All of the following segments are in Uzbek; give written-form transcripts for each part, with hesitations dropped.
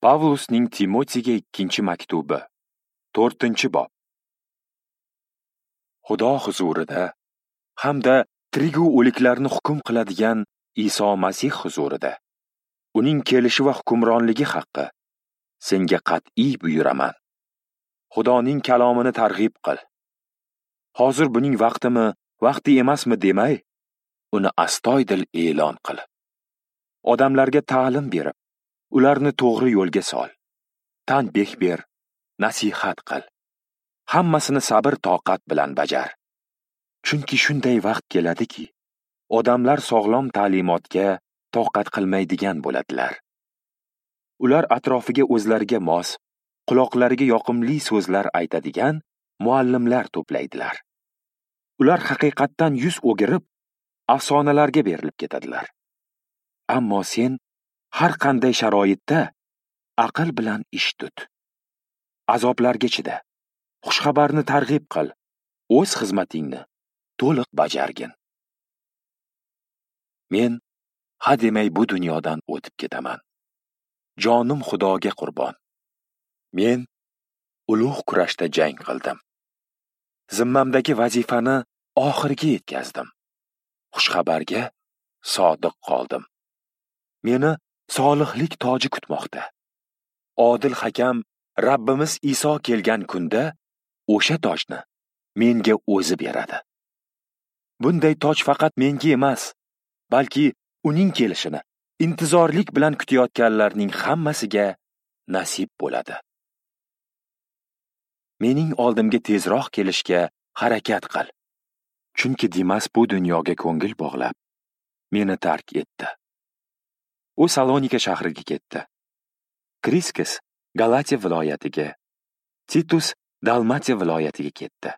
Pavlusning Timotiyga ikkinchi maktubi, 4-bob. Xudo huzurida hamda tirigu o'liklarni hukm qiladigan Iso Masih huzurida uning kelishi va hukmronligi haqqi senga qat'iy buyuraman. Xudoning kalomini targ'ib qil. Hozir buning vaqtimi, vaqti emasmi demay, uni astoydil e'lon qil. Odamlarga ta'lim berib, ularni to'g'ri yo'lga sol. Tanbeh ber, nasihat qil. Hammasini sabr toqat bilan bajar. Chunki shunday vaqt keladiki, odamlar sog'lom ta'limotga toqat qilmaydigan bo'ladilar. Ular atrofiga o'zlariga mos, quloqlariga yoqimli so'zlar aytadigan muallimlar to'playdilar. Ular haqiqatdan yuz o'girib, afsonalarga berilib ketadilar. Ammo sen har qanday sharoitda aql bilan ish tut. Azoblarga chida. Xushxabarni targ'ib qil. O'z xizmatingni to'liq bajargin. Men ha demay bu dunyodan o'tib ketaman. Jonim Xudoga qurbon. Men ulug' kurashda jang qildim. Zimmamdagi vazifani oxiriga yetkazdim. Xushxabarga sodiq qoldim. Meni solihlik toji kutmoqda. Odil hakam Rabbimiz Iso kelgan kunda o'sha tojni menga o'zi beradi. Bunday toj faqat menga emas, balki uning kelishini intizorlik bilan kutayotganlarning hammasiga nasib bo'ladi. Mening oldimga tezroq kelishga harakat qil. Chunki Dimas bu dunyoga ko'ngil bog'lab, meni tark etdi. U Salonika shahriga ketdi. Kriskis Galatiya viloyatiga, Titus Dalmatiya viloyatiga ketdi.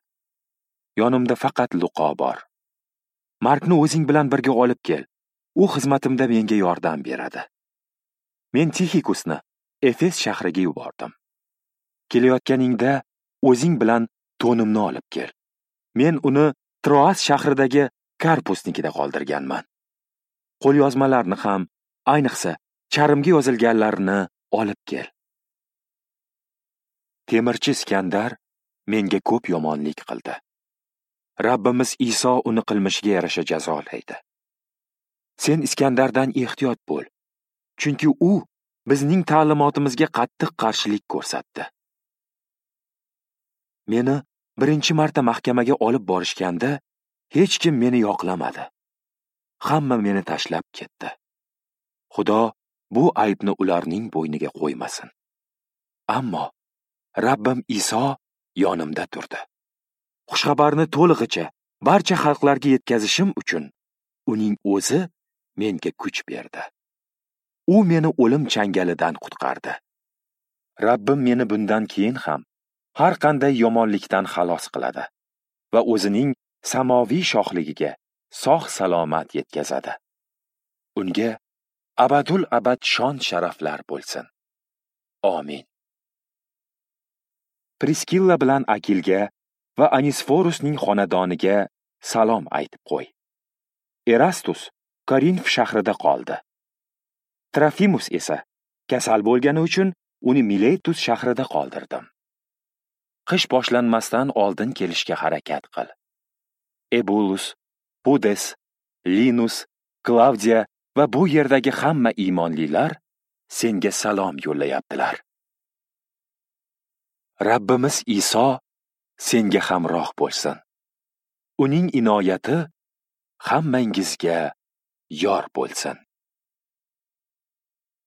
Yonimda faqat Luqo bor. Markni o'zing bilan birga olib kel. U xizmatimda menga yordam beradi. Men Tixikusni Efes shahriga yubordim. Kelayotganingda o'zing bilan to'nimni olib kel. Men uni Troas shahridagi Karpusnikida qoldirganman. Qo'lyozmalarni ham, ayniqsa charmga yozilganlarini olib kel. Temirchi Iskandar menga ko'p yomonlik qildi. Rabbimiz Iso uni qilmishiga yarasha jazolaydi. Sen Iskandardan ehtiyot bo'l, chunki u bizning ta'limotimizga qattiq qarshilik ko'rsatdi. Meni birinchi marta mahkamaga olib borishganda hech kim meni yoqlamadi. Hamma meni tashlab ketdi. Xudo bu aybni ularning bo'yniga qo'ymasin. Ammo Rabbim Iso yonimda turdi. Xushxabarni to'lig'icha barcha xalqlarga yetkazishim uchun uning o'zi menga kuch berdi. U meni o'lim changalidan qutqardi. Rabbim meni bundan keyin ham har qanday yomonlikdan xalos qiladi va o'zining samoviy shohligiga sog' salomat yetkazadi. Unga abadul abad shon sharaflar bo'lsin. Amin. Priskilla bilan Akilga va Anisforusning xonadoniga salom aytib qo'y. Erastus Korinf shahrida qoldi. Trofimus esa kasal bo'lgani uchun uni Miletus shahrida qoldirdim. Qish boshlanmasdan oldin kelishga harakat qil. Ebulus, Pudes, Linus, Klavdiya va bu yerdagi hamma iymonlilar senga salom yo'llayaptilar. Rabbimiz Iso senga hamroh bo'lsin. Uning inoyati hammangizga yor bo'lsin.